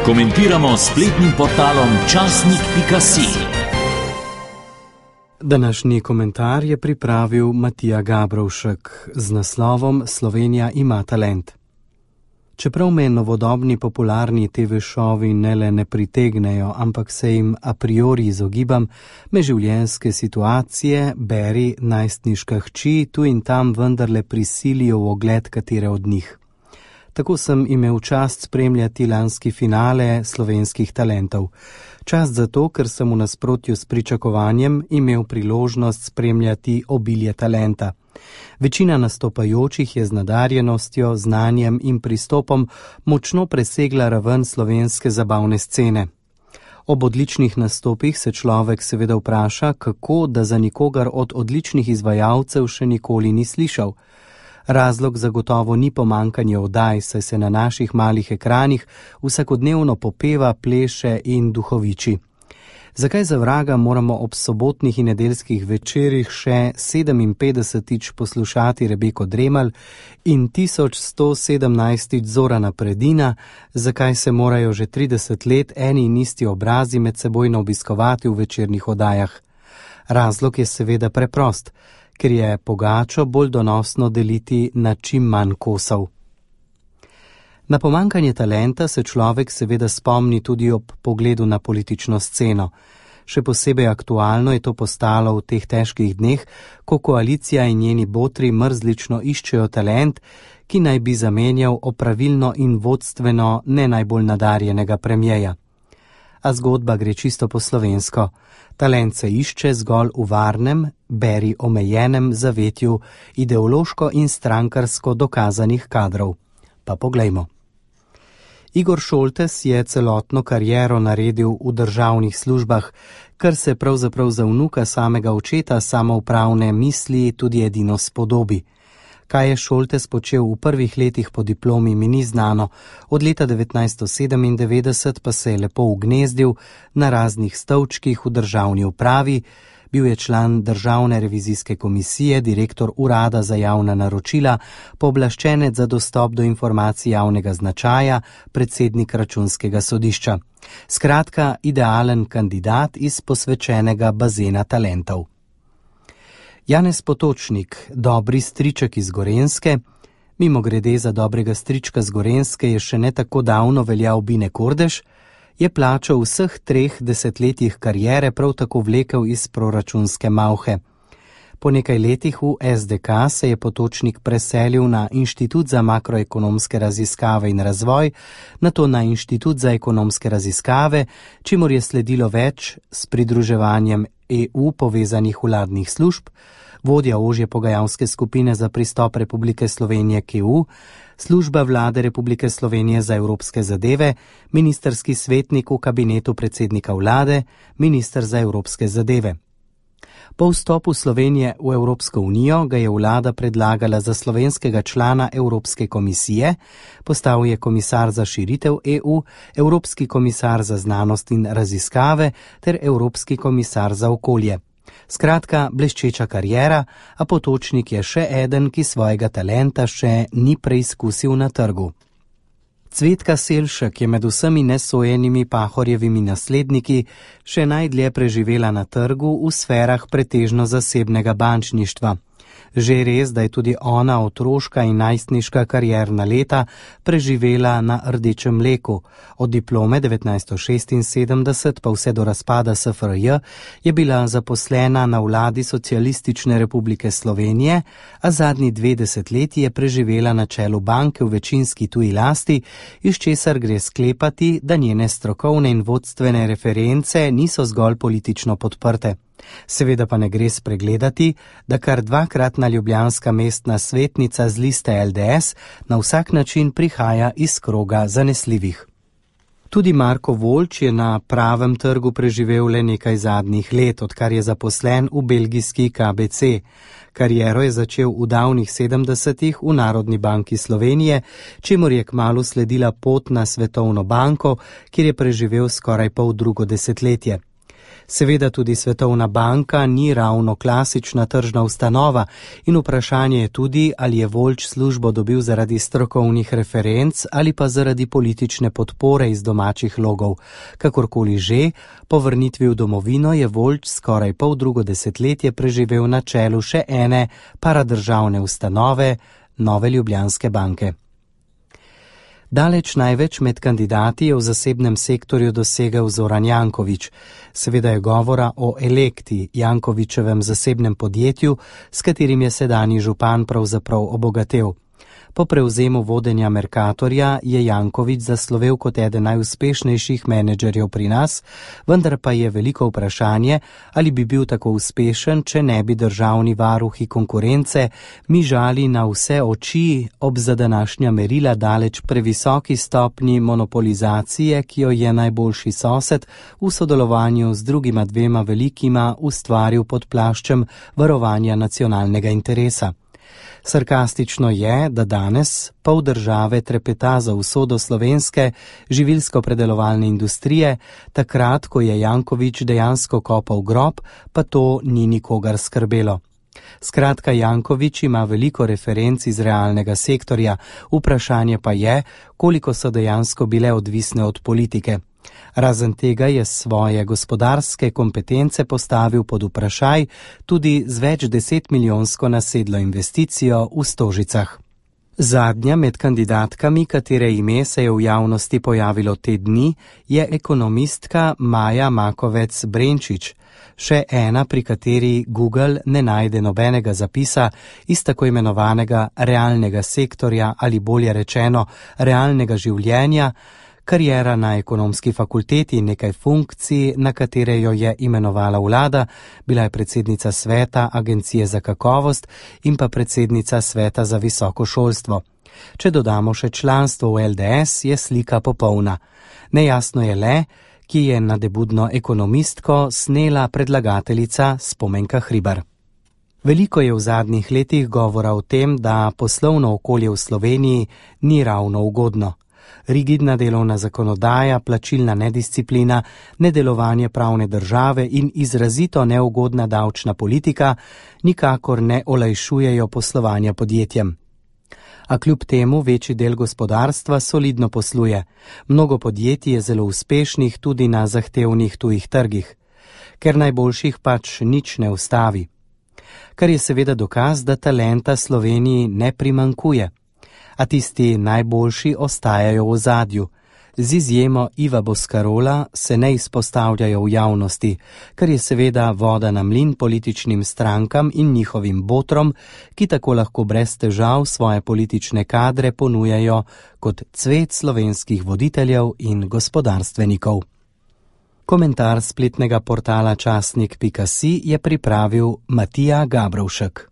Komentiramo spletnim portalom časnik.si. Današnji komentar je pripravil Matija Gabrovšek z naslovom Slovenija ima talent. Čeprav me novodobni popularni TV šovi ne le ne pritegnejo, ampak se jim a priori izogibam, me življenjske situacije, beri najstniška hči, tu in tam vendarle prisilijo v ogled katere od njih. Tako sem imel čast spremljati lanski finale slovenskih talentov. Čast zato, ker sem v nasprotju s pričakovanjem imel priložnost spremljati obilje talenta. Večina nastopajočih je z nadarjenostjo, znanjem in pristopom močno presegla raven slovenske zabavne scene. Ob odličnih nastopih se človek seveda vpraša, kako da za nikogar od odličnih izvajalcev še nikoli ni slišal. Razlog zagotovo ni pomankanje oddaj, saj se na naših malih ekranih vsakodnevno popeva, pleše in duhoviči. Zakaj za vraga moramo ob sobotnih in nedeljskih večerih še 57-tič poslušati Rebeko Dremelj in 1117-tič Zorana Predina, zakaj se morajo že 30 let eni in isti obrazi med sebojno obiskovati v večernih oddajah? Razlog je seveda preprost, ker je pogačo bolj donosno deliti na čim manj kosov. Na pomankanje talenta se človek seveda spomni tudi ob pogledu na politično sceno. Še posebej aktualno je to postalo v teh težkih dneh, ko koalicija in njeni botri mrzlično iščejo talent, ki naj bi zamenjal opravilno in vodstveno ne najbolj nadarjenega premierja. A zgodba gre čisto po slovensko. Talent se išče zgolj v varnem, beri omejenem zavetju ideološko in strankarsko dokazanih kadrov. Pa poglejmo. Igor Šoltes je celotno kariero naredil v državnih službah, kar se pravzaprav za vnuka samega očeta samoupravne misli tudi edino spodobi. Kaj je Šoltes počel v prvih letih po diplomi, mi ni znano, od leta 1997 pa se je lepo ugnezdil na raznih stolčkih v državni upravi, bil je član Državne revizijske komisije, direktor Urada za javna naročila, pooblaščenec za dostop do informacij javnega značaja, predsednik Računskega sodišča. Skratka, idealen kandidat iz posvečenega bazena talentov. Janez Potočnik, dobri striček iz Gorenjske, mimogrede za dobrega strička z Gorenjske je še ne tako davno veljal Bine Kordež, je plačo vseh 3 desetletjih kariere prav tako vlekel iz proračunske malhe. Po nekaj letih v SDK se je Potočnik preselil na Inštitut za makroekonomske raziskave in razvoj, nato na Inštitut za ekonomske raziskave, čimur je sledilo več s pridruževanjem EU povezanih vladnih služb, vodja ožje pogajalske skupine za pristop Republike Slovenije k EU, služba vlade Republike Slovenije za evropske zadeve, ministerski svetnik v kabinetu predsednika vlade, minister za evropske zadeve. Po vstopu Slovenije v Evropsko unijo ga je vlada predlagala za slovenskega člana Evropske komisije, postal je komisar za širitev EU, Evropski komisar za znanost in raziskave ter Evropski komisar za okolje. Skratka, bleščeča kariera, a Potočnik je še eden, ki svojega talenta še ni preizkusil na trgu. Cvetka Selšek je med vsemi nesojenimi Pahorjevimi nasledniki še najdlje preživela na trgu v sferah pretežno zasebnega bančništva. Že res, da je tudi ona otroška in najstniška karierna leta preživela na rdečem mleku. Od diplome 1976 pa vse do razpada SFRJ je bila zaposlena na vladi Socialistične republike Slovenije, a zadnji 2 desetletji je preživela na čelu banke v večinski tuji lasti, iz česar gre sklepati, da njene strokovne in vodstvene reference niso zgolj politično podprte. Seveda pa ne gre spregledati, da kar 2-kratna ljubljanska mestna svetnica z liste LDS na vsak način prihaja iz kroga zanesljivih. Tudi Marko Voljč je na pravem trgu preživel le nekaj zadnjih let, odkar je zaposlen v belgijski KBC. Kariero je začel v davnih 70-ih v Narodni banki Slovenije, čemur je kmalu sledila pot na Svetovno banko, kjer je preživel skoraj poldrugo desetletje. Seveda tudi Svetovna banka ni ravno klasična tržna ustanova in vprašanje je tudi, ali je Voljč službo dobil zaradi strokovnih referenc ali pa zaradi politične podpore iz domačih logov. Kakorkoli že, po vrnitvi v domovino je Voljč skoraj poldrugo desetletje preživel na čelu še ene paradržavne ustanove, Nove Ljubljanske banke. Daleč največ med kandidati je v zasebnem sektorju dosegel Zoran Janković. Seveda je govora o Elekti, Jankovićevem zasebnem podjetju, s katerim je sedanji župan pravzaprav obogatel. Po prevzemu vodenja Mercatorja je Janković zaslovel kot eden najuspešnejših menedžerjev pri nas, vendar pa je veliko vprašanje, ali bi bil tako uspešen, če ne bi državni varuhi konkurence mižali na vse oči ob za današnja merila daleč previsoki stopnji monopolizacije, ki jo je najboljši sosed v sodelovanju z drugima dvema velikima ustvaril pod plaščem varovanja nacionalnega interesa. Sarkastično je, da danes pol države trepeta za usodo slovenske živilsko-predelovalne industrije, takrat, ko je Janković dejansko kopal grob, pa to ni nikogar skrbelo. Skratka, Janković ima veliko referenc iz realnega sektorja, vprašanje pa je, koliko so dejansko bile odvisne od politike. Razen tega je svoje gospodarske kompetence postavil pod vprašaj tudi z več 10-milijonsko nasedlo investicijo v Stožicah. Zadnja med kandidatkami, katere ime se je v javnosti pojavilo te dni, je ekonomistka Maja Makovec Brenčič, še ena, pri kateri Google ne najde nobenega zapisa iz tako imenovanega realnega sektorja ali bolje rečeno realnega življenja, kariera na ekonomski fakulteti in nekaj funkcij, na katere jo je imenovala vlada, bila je predsednica sveta Agencije za kakovost in pa predsednica sveta za visoko šolstvo. Če dodamo še članstvo v LDS, je slika popolna. Nejasno je le, ki je nadebudno ekonomistko snela predlagateljica Spomenka Hribar. Veliko je v zadnjih letih govora o tem, da poslovno okolje v Sloveniji ni ravno ugodno. Rigidna delovna zakonodaja, plačilna nedisciplina, nedelovanje pravne države in izrazito neugodna davčna politika nikakor ne olajšujejo poslovanja podjetjem. A kljub temu večji del gospodarstva solidno posluje. Mnogo podjetij je zelo uspešnih tudi na zahtevnih tujih trgih, ker najboljših pač nič ne ustavi. Kar je seveda dokaz, da talenta Sloveniji ne primanjkuje. A tisti najboljši ostajajo v ozadju. Z izjemo Iva Boscarola se ne izpostavljajo v javnosti, kar je seveda voda na mlin političnim strankam in njihovim botrom, ki tako lahko brez težav svoje politične kadre ponujajo kot cvet slovenskih voditeljev in gospodarstvenikov. Komentar spletnega portala časnik.si je pripravil Matija Gabrovšek.